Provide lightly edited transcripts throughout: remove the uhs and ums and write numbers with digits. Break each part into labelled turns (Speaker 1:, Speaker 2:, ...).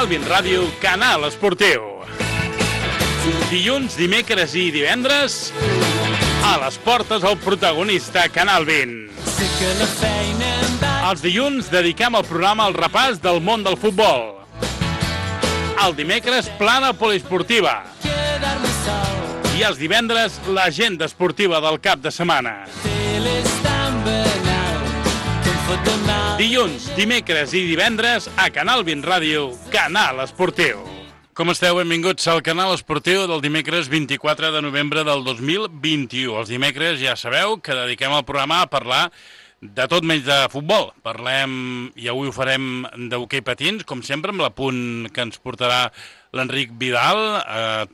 Speaker 1: Canal 20 Ràdio, Canal Esportiu. Dilluns, dimecres i divendres, a les portes el protagonista Canal 20. Els dilluns dediquem el programa al repàs del món del futbol. El dimecres, plana poliesportiva. I els divendres, l'agenda esportiva del cap de setmana. Dilluns, dimecres i divendres a Canal 20 Ràdio, Canal Esportiu. Com esteu? Benvinguts al Canal Esportiu del dimecres 24 de novembre del 2021. Els dimecres ja sabeu que dediquem el programa a parlar de tot menys de futbol. Parlem, i avui ho farem, d'hoquei patins, com sempre, amb l'apunt que ens portarà l'Enric Vidal,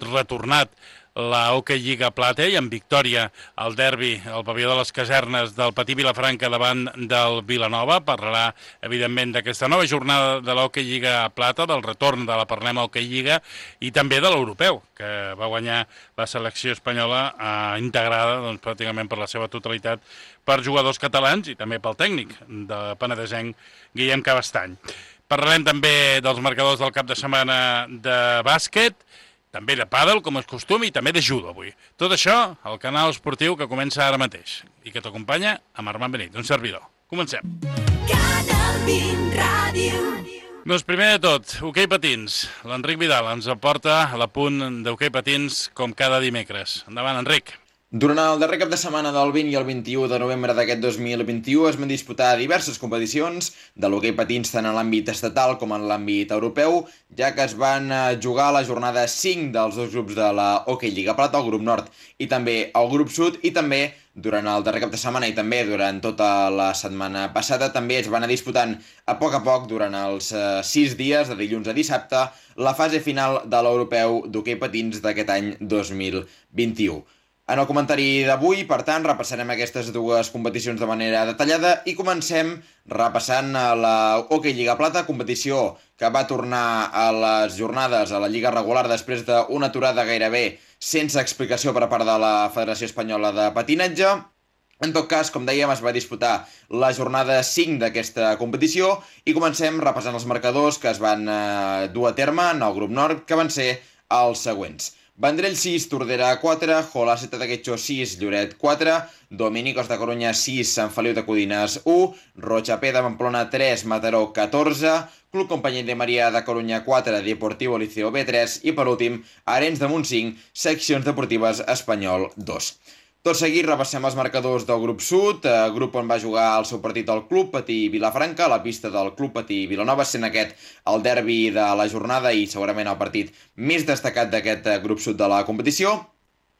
Speaker 1: retornat la Hockey Lliga Plata i amb victòria al derbi, al pavelló de les Casernes del Patí Vilafranca davant del Vilanova. Parlarà, evidentment, d'aquesta nova jornada de la Hockey Lliga Plata, del retorn de la Parlem Hockey Lliga i també de l'europeu, que va guanyar la selecció espanyola integrada doncs, pràcticament per la seva totalitat per jugadors catalans i també pel tècnic de penedesenc Guillem Cabestany. Parlarem també dels marcadors del cap de setmana de bàsquet, també de pàdel, com és costum, i també de judo avui. Tot això al canal esportiu que comença ara mateix i que t'acompanya amb Armand Benit, un servidor. Comencem. Canal 20 Ràdio. Doncs primer de tot, hoquei patins. L'Enric Vidal ens aporta l'apunt d'hoquei patins com cada dimecres. Endavant, Enric.
Speaker 2: Durant el darrer cap de setmana del 20 i el 21 de novembre d'aquest 2021 es van disputar diverses competicions de l'hoquei patins tant en l'àmbit estatal com en l'àmbit europeu, ja que es van jugar a la jornada 5 dels dos grups de la Hockey Lliga Plata, el grup nord i també el grup sud, i també durant el darrer cap de setmana i també durant tota la setmana passada també es van anar disputant a poc durant els 6 dies, de dilluns a dissabte, la fase final de l'europeu d'hoquei patins d'aquest any 2021. En el comentari d'avui, per tant, repassarem aquestes dues competicions de manera detallada i comencem repassant la Hockey Lliga Plata, competició que va tornar a les jornades a la Lliga regular després d'una aturada gairebé sense explicació per part de la Federació Espanyola de Patinatge. En tot cas, com dèiem, es va disputar la jornada 5 d'aquesta competició i comencem repassant els marcadors que es van dur a terme en el grup nord, que van ser els següents. Vendrell 6, Tordera 4, Jolaceta de Guetxó 6, Lloret 4, Dominicos de Corunya 6, Sant Feliu de Codines 1, Rochapé de Pamplona 3, Mataró 14, Club Companyia de Maria de Corunya 4, Deportivo Liceo B3 i per últim, Arenys de Munt 5, Seccions Deportives Espanyol 2. Tot seguit repassem els marcadors del grup sud, grup on va jugar el seu partit el Club Patí Vilafranca, a la pista del Club Patí Vilanova, sent aquest el derbi de la jornada i segurament el partit més destacat d'aquest grup sud de la competició.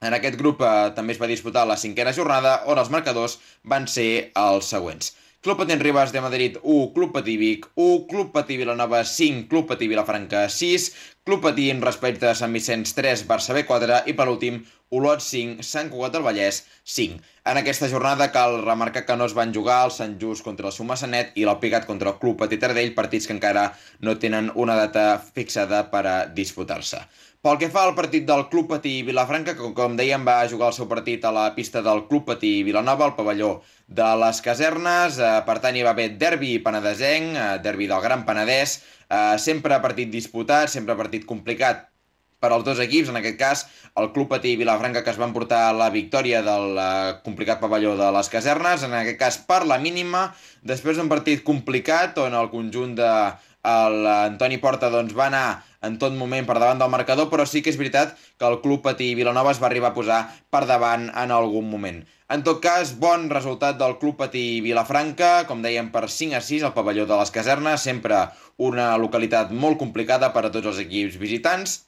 Speaker 2: En aquest grup també es va disputar la 5a jornada, on els marcadors van ser els següents. Club Patí Ribes de Madrid 1, Club Patí Vic 1, Club Patí Vilanova 5, Club Patí Vilafranca 6, Club Patí Raspeig de Sant Vicenç 3, Barça B 4 i per últim Olot 5, Sant Cugat del Vallès 5. En aquesta jornada cal remarcar que no es van jugar el Sant Just contra el Sumassanet i l'Alpicat contra el Club Patí Taradell, partits que encara no tenen una data fixada per a disputar-se. Pel que fa al partit del Club Patí Vilafranca, que com dèiem va jugar el seu partit a la pista del Club Patí Vilanova, al pavelló de les Casernes, per tant hi va haver derbi penedesenc, derbi del Gran Penedès, sempre partit disputat, sempre partit complicat per als dos equips, en aquest cas el Club Patí Vilafranca, que es va emportar la victòria del complicat pavelló de les Casernes, en aquest cas per la mínima, després d'un partit complicat on el conjunt de l'Antoni Porta doncs, va anar en tot moment per davant del marcador, però sí que és veritat que el Club Patí Vilanova es va arribar a posar per davant en algun moment. En tot cas, bon resultat del Club Patí Vilafranca, com dèiem, per 5-6 al pavelló de les Casernes, sempre una localitat molt complicada per a tots els equips visitants.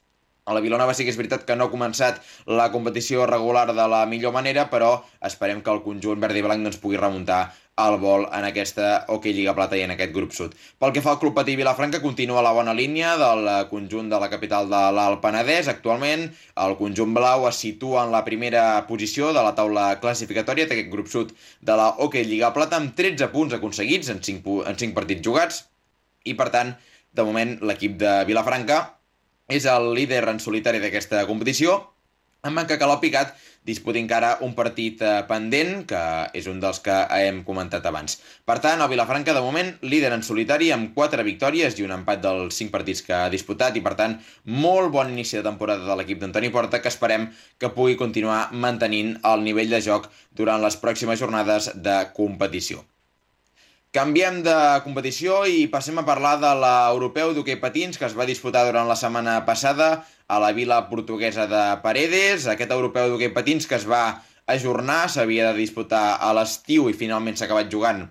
Speaker 2: A la Vilanova sí que és veritat que no ha començat la competició regular de la millor manera, però esperem que el conjunt verd i blanc doncs, pugui remuntar el vol en aquesta Hockey Lliga Plata i en aquest grup sud. Pel que fa al Club Patí Vilafranca, continua la bona línia del conjunt de la capital de l'Alt Penedès. Actualment, el conjunt blau es situa en la primera posició de la taula classificatòria d'aquest grup sud de la Hockey Lliga Plata amb 13 punts aconseguits en 5 partits jugats i, per tant, de moment, l'equip de Vilafranca és el líder en solitari d'aquesta competició En Manca Calò Picat disputa encara un partit pendent, que és un dels que hem comentat abans. Per tant, el Vilafranca, de moment, líder en solitari amb 4 victòries i un empat dels 5 partits que ha disputat, i per tant, molt bon inici de temporada de l'equip d'Antoni Porta, que esperem que pugui continuar mantenint el nivell de joc durant les pròximes jornades de competició. Canviem de competició i passem a parlar de l'europeu d'hoquei patins que es va disputar durant la setmana passada a la vila portuguesa de Paredes. Aquest europeu d'hoquei patins que es va ajornar, s'havia de disputar a l'estiu i finalment s'ha acabat jugant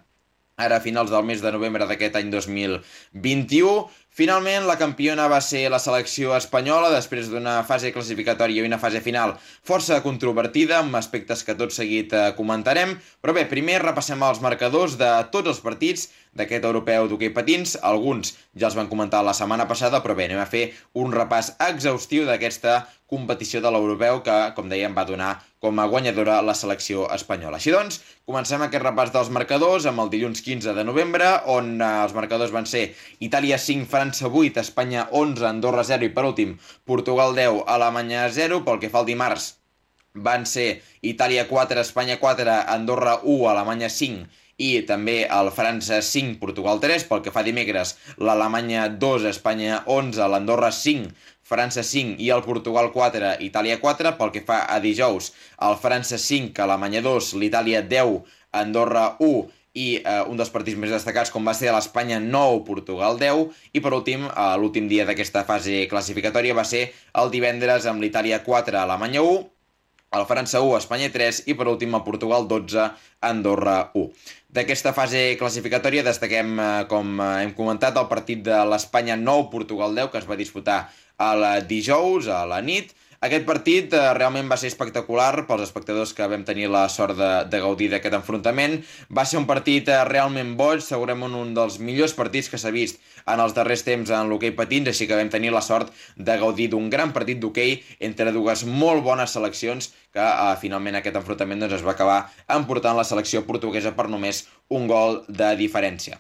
Speaker 2: ara a finals del mes de novembre d'aquest any 2021. Finalment, la campiona va ser la selecció espanyola després d'una fase classificatòria i una fase final força controvertida, amb aspectes que tot seguit comentarem. Però bé, primer repassem els marcadors de tots els partits d'aquest europeu d'hoquei patins. Alguns ja els van comentar la setmana passada, però bé, anem a fer un repàs exhaustiu d'aquesta competició de l'europeu que, com dèiem, va donar com a guanyadora la selecció espanyola. Així doncs, comencem aquest repàs dels marcadors amb el dilluns 15 de novembre, on els marcadors van ser Itàlia 5, França 8, Espanya 11, Andorra 0 i, per últim, Portugal 10, Alemanya 0. Pel que fa al dimarts, van ser Itàlia 4, Espanya 4, Andorra 1, Alemanya 5 i també el França 5, Portugal 3. Pel que fa a dimecres, l'Alemanya 2, Espanya 11, l'Andorra 5, França 5 i el Portugal 4, Itàlia 4. Pel que fa a dijous, el França 5, Alemanya 2, l'Itàlia 10, Andorra 1 i un dels partits més destacats com va ser l'Espanya 9, Portugal 10. I per últim, l'últim dia d'aquesta fase classificatòria va ser el divendres amb l'Itàlia 4, Alemanya 1, el França 1, Espanya 3 i per últim el Portugal 12, Andorra 1. D'aquesta fase classificatòria destaquem, com hem comentat, el partit de l'Espanya 9, Portugal 10, que es va disputar el dijous a la nit. Aquest partit realment va ser espectacular pels espectadors que vam tenir la sort de gaudir d'aquest enfrontament. Va ser un partit realment boig, segurament un dels millors partits que s'ha vist en els darrers temps en l'hoquei patins, així que vam tenir la sort de gaudir d'un gran partit d'hoquei entre dues molt bones seleccions que finalment aquest enfrontament es va acabar emportant la selecció portuguesa per només un gol de diferència.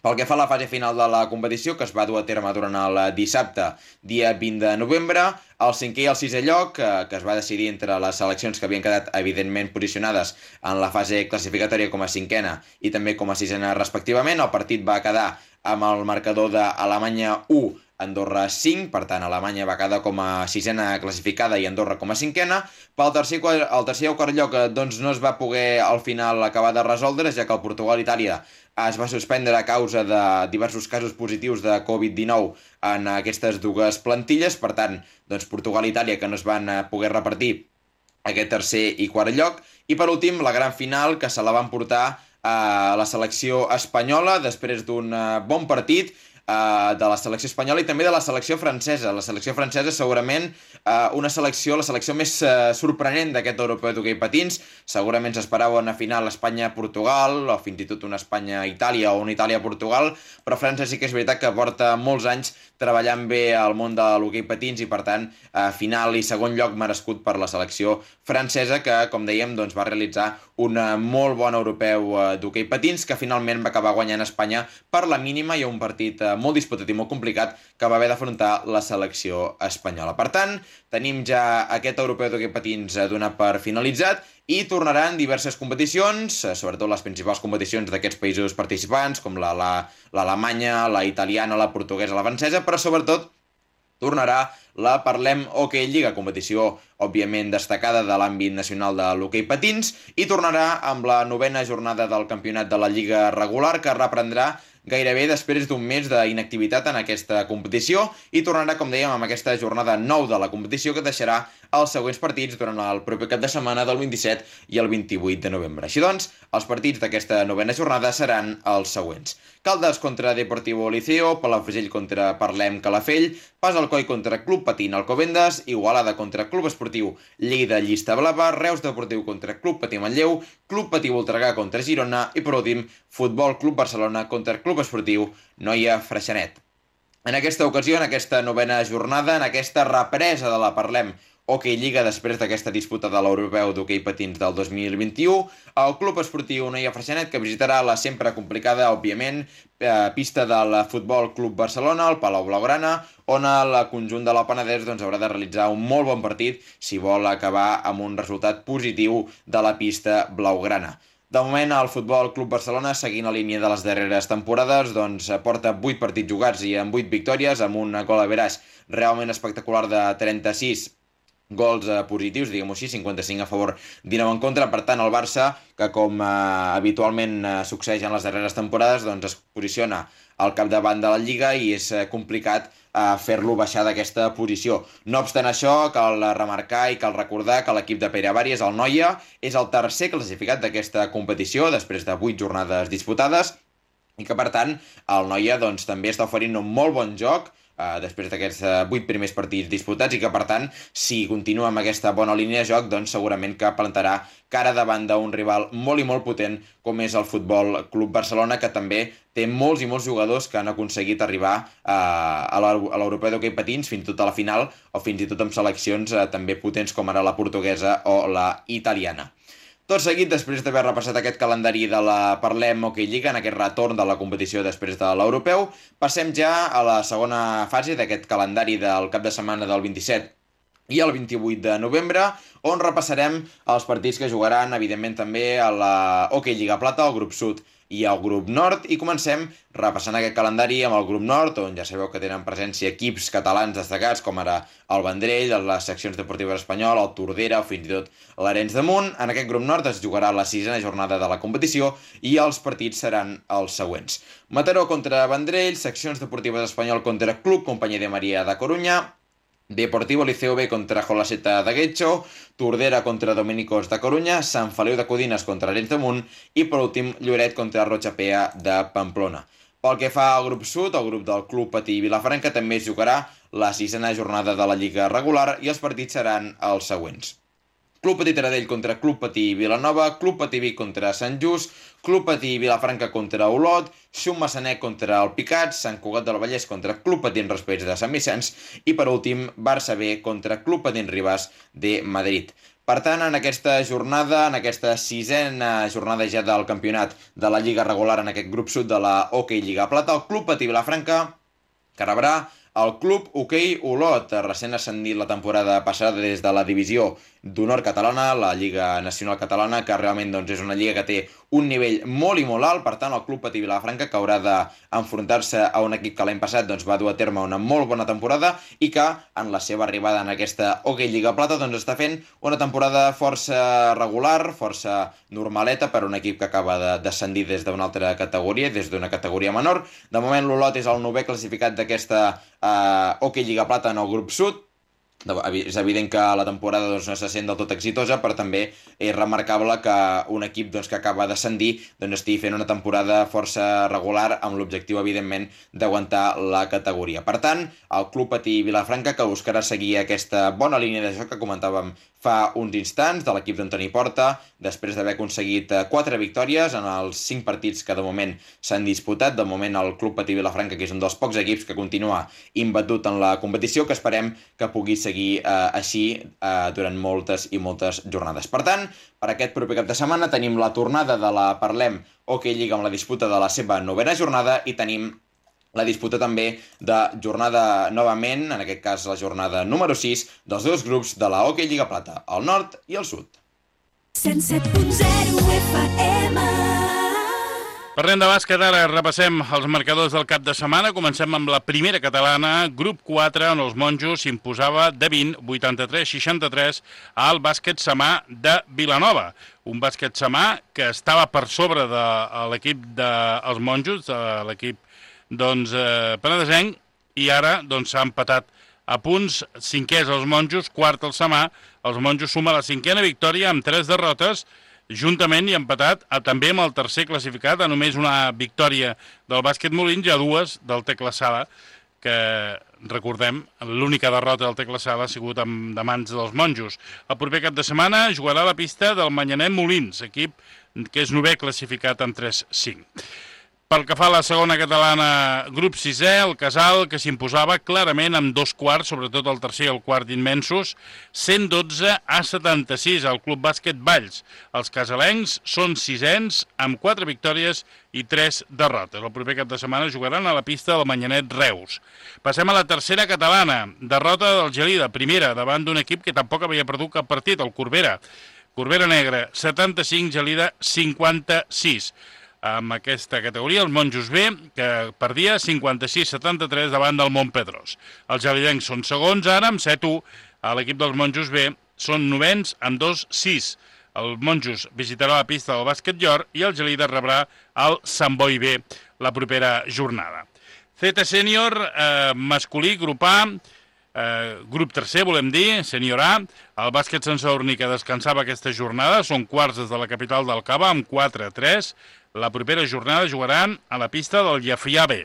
Speaker 2: Pel que fa a la fase final de la competició, que es va dur a terme durant el dissabte, dia 20 de novembre, el 5è i el 6è lloc, que es va decidir entre les seleccions que havien quedat evidentment posicionades en la fase classificatòria com a 5a i també com a 6a respectivament. El partit va quedar amb el marcador d'Alemanya 1, Andorra 5, per tant Alemanya va quedar com a 6a classificada i Andorra com a 5a. Pel tercer i el quart lloc doncs no es va poder al final acabar de resoldre, ja que el Portugal-Itàlia es va suspendre a causa de diversos casos positius de Covid-19 en aquestes dues plantilles. Per tant, doncs Portugal-Itàlia que no es van poder repartir aquest tercer i quart lloc. I per últim, la gran final que se la van portar a la selecció espanyola després d'un bon partit de la selecció espanyola i també de la selecció francesa. La selecció francesa segurament la selecció més sorprenent d'aquest europeu d'hoquei patins. Segurament s'esperava una final Espanya-Portugal o fins i tot una Espanya-Itàlia o una Itàlia-Portugal, però França sí que és veritat que porta molts anys treballant bé al món de l'hoquei patins i per tant final i segon lloc merescut per la selecció francesa que, com dèiem, doncs, va realitzar un molt bon europeu d'hoquei patins que finalment va acabar guanyant Espanya per la mínima i un partit molt disputat i molt complicat que va haver d'afrontar la selecció espanyola. Per tant, tenim ja aquest europeu d'hoquei patins donat per finalitzat i tornaran diverses competicions, sobretot les principals competicions d'aquests països participants, com l'Alemanya, la italiana, la portuguesa, la francesa, però sobretot tornarà la Parlem Hockey Lliga, competició òbviament destacada de l'àmbit nacional de l'hoquei patins, i tornarà amb la 9a jornada del campionat de la Lliga regular, que reprendrà gairebé després d'un mes d'inactivitat en aquesta competició i tornarà, com dèiem, amb aquesta jornada 9 de la competició que deixarà els següents partits durant el proper cap de setmana del 27 i el 28 de novembre. Així doncs, els partits d'aquesta 9a jornada seran els següents. Caldes contra Deportivo Liceo, Palafrugell contra Parlem Calafell, Pas Alcoi contra Club Patín Alcobendas, Igualada contra Club Esportiu Lleida Llista Blava, Reus Deportiu contra Club Patí Manlleu, Club Patí Voltregà contra Girona i, per últim, Futbol Club Barcelona contra Club Esportiu Noia Freixenet. En aquesta ocasió, en aquesta 9a jornada, en aquesta represa de la Parlem Hockey Lliga després d'aquesta disputa de l'Europeu d'hoquei patins del 2021. El Club Esportiu Noia Freixenet, que visitarà la sempre complicada, òbviament, pista del Futbol Club Barcelona, el Palau Blaugrana, on el conjunt de la Penedès haurà de realitzar un molt bon partit si vol acabar amb un resultat positiu de la pista blaugrana. De moment, el Futbol Club Barcelona, seguint la línia de les darreres temporades, porta 8 partits jugats i amb 8 victòries, amb un gol average realment espectacular de 36 gols positius, diguem-ho així, 55 a favor, 19 en contra. Per tant, el Barça, que com habitualment succeeix en les darreres temporades, es posiciona al capdavant de la Lliga i és complicat fer-lo baixar d'aquesta posició. No obstant això, cal remarcar i cal recordar que l'equip de Pere Bari, el Noia, és el tercer classificat d'aquesta competició després de 8 jornades disputades i que, per tant, el Noia també està oferint un molt bon joc després d'aquests 8 primers partits disputats i que, per tant, si continua amb aquesta bona línia de joc, segurament que plantarà cara davant d'un rival molt i molt potent com és el Futbol Club Barcelona, que també té molts i molts jugadors que han aconseguit arribar a l'Europeu d'hoquei patins fins i tot a la final o fins i tot amb seleccions també potents com ara la portuguesa o la italiana. Tot seguit, després d'haver repassat aquest calendari de la Parlem Hockey Lliga, en aquest retorn de la competició després de l'Europeu, passem ja a la segona fase d'aquest calendari del cap de setmana del 27 i el 28 de novembre, on repassarem els partits que jugaran, evidentment, també a la Hockey Lliga Plata, al grup sud i al grup nord, i comencem repassant aquest calendari amb el grup nord, on ja sabeu que tenen presència equips catalans destacats, com ara el Vendrell, les seccions deportives espanyoles, el Tordera o fins i tot l'Arenys de Munt. En aquest grup nord es jugarà la 6a jornada de la competició i els partits seran els següents: Mataró contra Vendrell, seccions deportives espanyol contra Club Companyia de Maria de Corunya, Deportivo Liceo B contra Jolaseta de Guetxo, Tordera contra Dominicos de Corunya, Sant Feliu de Codines contra Arenys de Munt i, per últim, Lloret contra Rochapea de Pamplona. Pel que fa al grup sud, el grup del Club Patí Vilafranca també es jugarà la 6a jornada de la Lliga regular i els partits seran els següents: Club Patí Taradell contra Club Patí Vilanova, Club Patí Vic contra Sant Just, Club Patí Vilafranca contra Olot, Xum Massanet contra el Picat, Sant Cugat del Vallès contra Club Patí Raspeig de Sant Vicenç i, per últim, Barça B contra Club Patí Ribas de Madrid. Per tant, en aquesta jornada, en aquesta 6a jornada ja del campionat de la Lliga regular en aquest grup sud de la Hockey Lliga Plata, el Club Patí Vilafranca que rebrà el Club Hoquei Olot, recent ascendit la temporada passada des de la divisió d'honor catalana, la Lliga Nacional Catalana, que realment és una lliga que té un nivell molt i molt alt. Per tant, el Club Patí Vilafranca, que haurà d'enfrontar-se a un equip que l'any passat va dur a terme una molt bona temporada i que, en la seva arribada en aquesta Hockey Lliga Plata, està fent una temporada força regular, força normaleta per un equip que acaba de descendir des d'una altra categoria, des d'una categoria menor. De moment, l'Olot és el 9è classificat d'aquesta Hockey Lliga Plata en el grup sud. És evident que la temporada no se sent del tot exitosa, però també és remarcable que un equip que acaba d'ascendir estigui fent una temporada força regular amb l'objectiu, evidentment, d'aguantar la categoria. Per tant, el Club Patí Vilafranca, que buscarà seguir aquesta bona línia de joc que comentàvem fa uns instants, de l'equip d'Antoni Porta, després d'haver aconseguit 4 victòries en els 5 partits que de moment s'han disputat. De moment el Club Patí Vilafranca, que és un dels pocs equips que continua imbatut en la competició, que esperem que pugui seguir així durant moltes i moltes jornades. Per tant, per aquest proper cap de setmana tenim la tornada de la Parlem Hockey Lliga amb la disputa de la seva 9a jornada i tenim la disputa també de jornada novament, en aquest cas la jornada número 6, dels dos grups de la Hockey Lliga Plata, el nord i el sud.
Speaker 3: 107.0 FM.
Speaker 1: Parlem de bàsquet, ara repassem els marcadors del cap de setmana. Comencem amb la primera catalana, grup 4, on els monjos s'imposava de 20, 83-63 al bàsquet samà de Vilanova. Un bàsquet samà que estava per sobre de l'equip dels monjos, de l'equip penedesenc, i ara s'ha empatat a punts. 5è els monjos, 4 el samà. Els monjos suma la 5a victòria amb 3 derrotes, juntament i empatat també amb el tercer classificat, a només una victòria del bàsquet Molins i a 2 del Tecla Sala, que, recordem, l'única derrota del Tecla Sala ha sigut de mans dels monjos. El proper cap de setmana jugarà a la pista del Manyanet Molins, equip que és 9è classificat amb 3-5. Pel que fa a la segona catalana, grup 6è, el Casal, que s'imposava clarament amb 2 quarts, sobretot el tercer i el quart immensos, 112-76 al Club Bàsquet Valls. Els casalencs són 6ens amb 4 victòries i 3 derrotes. El proper cap de setmana jugaran a la pista del Manyanet Reus. Passem a la tercera catalana, derrota del Gelida, primera, davant d'un equip que tampoc havia perdut cap partit, el Corbera. Corbera Negra, 75, Gelida 56. Amb aquesta categoria, el Monjos B, que perdia 56-73 davant del Montpedrós. Els gelidencs són segons ara, amb 7-1. A l'equip dels Monjos B són novens amb 2-6. El Monjos visitarà la pista del Bàsquet Llor i el Gelida rebrà el Sant Boi B la propera jornada. Z Sènior, masculí, grup A, grup tercer, volem dir, sènior A. El bàsquet Sant Sadurní, que descansava aquesta jornada, són quarts des de la capital del Cava, amb 4-3. La propera jornada jugaran a la pista del Llefià B.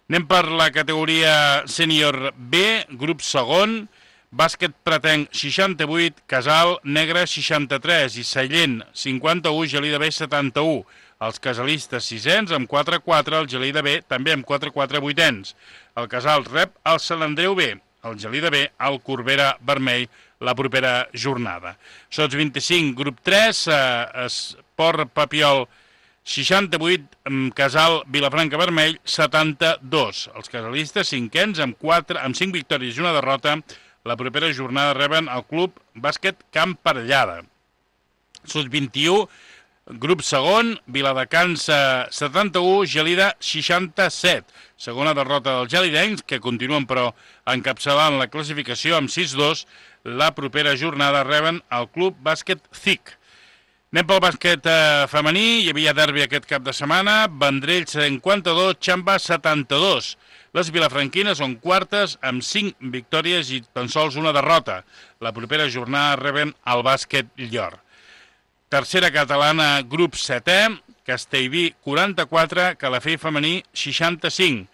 Speaker 1: Anem per la categoria sènior B, grup segon, bàsquet pretenc 68, Casal Negre 63 i Sallent 51, Gelida B 71. Els casalistes sisens amb 4-4, el Gelida B també amb 4-4 vuitens. El Casal rep el Sant Andreu B, el Gelida B al Corbera Vermell la propera jornada. Sots 25, grup 3, Esport Papiol 68, Casal Vilafranca Vermell 72. Els casalistes cinquens amb 5 victòries i una derrota. La propera jornada reben el Club Bàsquet Camp Parellada. Sots 21, grup segon, Viladecans 71, Gelida 67. Segona derrota dels gelidencs, que continuen però encapçalant la classificació amb 6-2. La propera jornada reben el Club Bàsquet CIC. Anem pel bàsquet femení, hi havia derbi aquest cap de setmana, Vendrell 52, Xamba 72. Les vilafranquines són quartes amb 5 victòries i tan sols una derrota. La propera jornada reben el bàsquet Llor. Tercera catalana, grup 7è, Castellví 44, Calafell femení 65.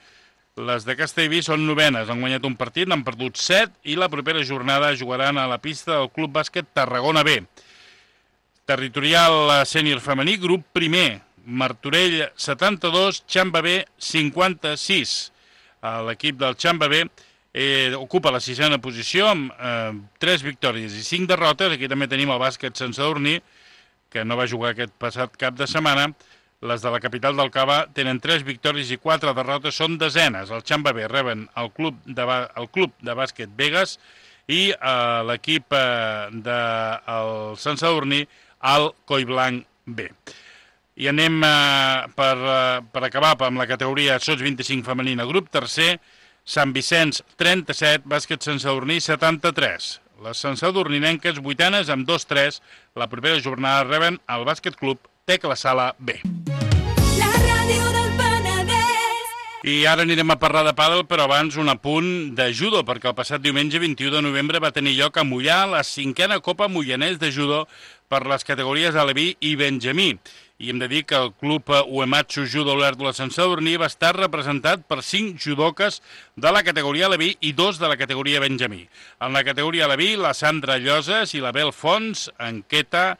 Speaker 1: Les de Castellví són novenes, han guanyat un partit, n'han perdut 7 i la propera jornada jugaran a la pista del Club Bàsquet Tarragona B. Territorial sènior femení, grup primer, Martorell 72, Xamba B 56. L'equip del Xamba B ocupa la 6a posició amb 3 victòries i 5 derrotes. Aquí també tenim el bàsquet Sant Sadurní, que no va jugar aquest passat cap de setmana. Les de la capital del Cava tenen 3 victòries i 4 derrotes, són desenes. El Xamba B reben el club de bàsquet Vegas i l'equip del Sant Sadurní al Collblanc B. I anem per acabar amb la categoria Sots 25 femenina, grup tercer, Sant Vicenç 37, bàsquet Sant Sadurní 73. Les Sant Sadurninenques vuitanes amb 2-3. La propera jornada reben el bàsquet club Tecla Sala B.
Speaker 3: La ràdio del Penedès.
Speaker 1: I ara anirem a parlar de pàdel, però abans un apunt de judo, perquè el passat diumenge 21 de novembre va tenir lloc a Mollà la 5a Copa Mollanès de Judo per les categories Aleví i Benjamí. I hem de dir que el club Uematsu Judo Olèrdola Sant Sadurní va estar representat per 5 judoques de la categoria Aleví i 2 de la categoria Benjamí. En la categoria Aleví, la Sandra Lloses i la Bel Fons, en Kenta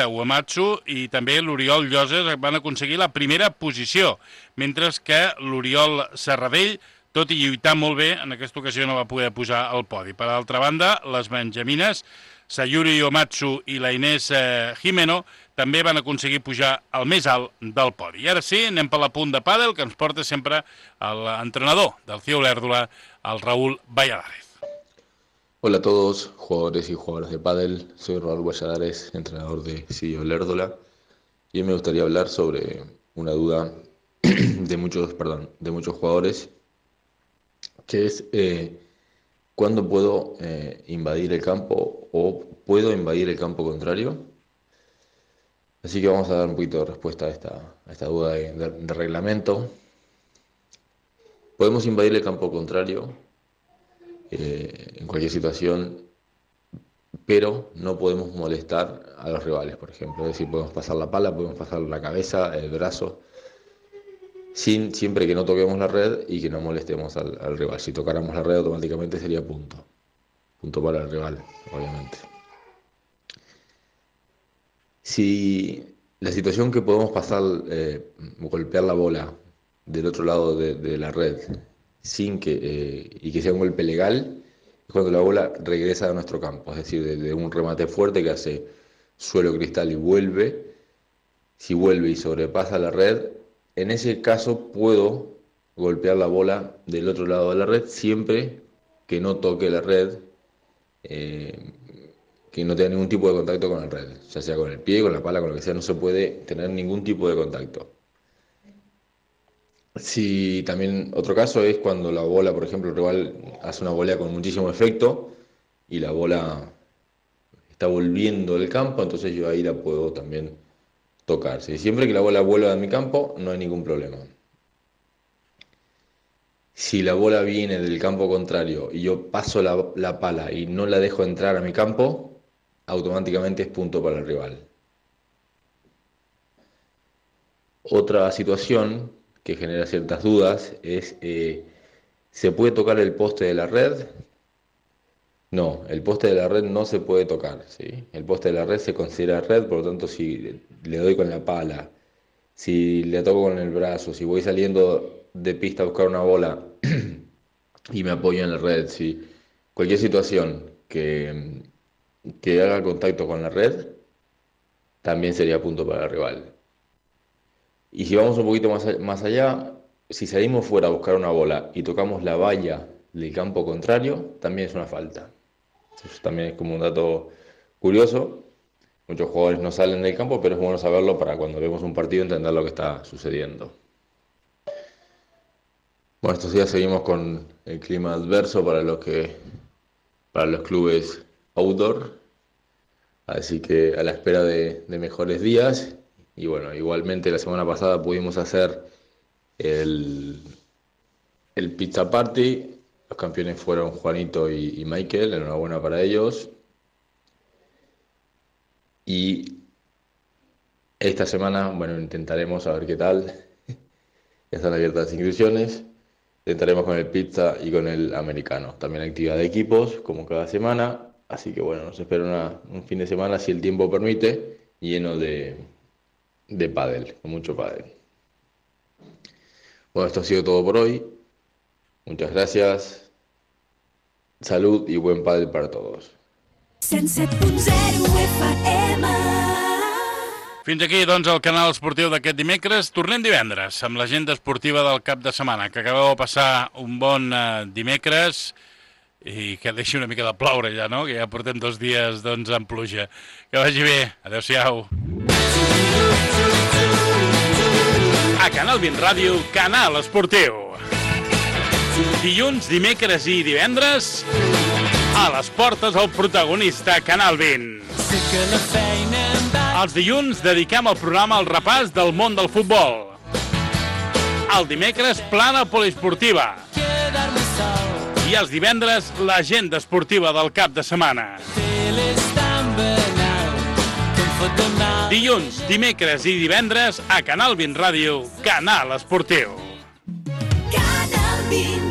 Speaker 1: Uematsu i també l'Oriol Lloses van aconseguir la primera posició, mentre que l'Oriol Serradell, tot i lluitar molt bé, en aquesta ocasió no va poder pujar al podi. Per altra banda, les benjamines, Sayuri Uematsu i la Inés Jimeno, també van aconseguir pujar al més alt del podi. I ara sí, anem per la punt de pàdel, que ens porta sempre l'entrenador del CIO Olèrdola, el Raúl Valladares.
Speaker 4: Hola a todos, jugadores y jugadoras de pádel. Soy Raúl Valladares, entrenador de CIO Olèrdola, y me gustaría hablar sobre una duda de muchos jugadores, que es ¿cuándo puedo invadir el campo o puedo invadir el campo contrario? Así que vamos a dar un poquito de respuesta a esta duda de reglamento. Podemos invadir el campo contrario en cualquier situación, pero no podemos molestar a los rivales, por ejemplo. Es decir, podemos pasar la pala, podemos pasar la cabeza, el brazo, siempre que no toquemos la red y que no molestemos al rival. Si tocáramos la red, automáticamente sería punto para el rival, obviamente. Si la situación que podemos pasar, golpear la bola del otro lado de la red sin y que sea un golpe legal, es cuando la bola regresa a nuestro campo, es decir, de un remate fuerte que hace suelo cristal y vuelve. Si vuelve y sobrepasa la red, en ese caso puedo golpear la bola del otro lado de la red siempre que no toque la red, que no tenga ningún tipo de contacto con la red, ya sea con el pie, con la pala, con lo que sea, no se puede tener ningún tipo de contacto. Si también otro caso es cuando la bola, por ejemplo, el rival hace una volea con muchísimo efecto y la bola está volviendo del campo, entonces yo ahí la puedo también tocar. Siempre que la bola vuelva de mi campo, no hay ningún problema. Si la bola viene del campo contrario y yo paso la pala y no la dejo entrar a mi campo, automáticamente es punto para el rival. Otra situación que genera ciertas dudas es, ¿se puede tocar el poste de la red? No, el poste de la red no se puede tocar, ¿sí? El poste de la red se considera red, por lo tanto si le doy con la pala, si le toco con el brazo, si voy saliendo de pista a buscar una bola y me apoyo en la red, si cualquier situación que haga contacto con la red, también sería punto para el rival. Y si vamos un poquito más allá, si salimos fuera a buscar una bola y tocamos la valla del campo contrario, también es una falta. Eso también es como un dato curioso. Muchos jugadores no salen del campo, pero es bueno saberlo para cuando vemos un partido entender lo que está sucediendo. Bueno, estos días seguimos con el clima adverso para los clubes outdoor, así que a la espera de mejores días. Y bueno, igualmente la semana pasada pudimos hacer el pizza party. Los campeones fueron Juanito y Michael, enhorabuena para ellos. Y esta semana, bueno, intentaremos a ver qué tal. Ya están abiertas las inscripciones. Intentaremos con el pizza y con el americano. También actividad de equipos, como cada semana. Así que bueno, nos espera un fin de semana, si el tiempo permite, lleno de pádel, con mucho pádel. Bueno, esto ha sido todo por hoy. Muchas gracias. Salud i buen pádel para todos.
Speaker 3: 107.0 FM.
Speaker 1: Fins aquí, doncs, el canal esportiu d'aquest dimecres. Tornem divendres amb l'agenda esportiva del cap de setmana, que acabeu de passar un bon dimecres i que deixi una mica de ploure ja, no? Que ja portem 2 dies, doncs, amb pluja. Que vagi bé. Adéu-siau. A Canal 20 Ràdio, Canal Esportiu. Dilluns, dimecres i divendres, a les portes el protagonista, Canal 20. Els dilluns dediquem el programa al repàs del món del futbol. El dimecres, plana poliesportiva. I els divendres, l'agenda esportiva del cap de setmana. Dilluns, dimecres i divendres, a Canal 20 Ràdio, Canal Esportiu.
Speaker 3: Canal 20.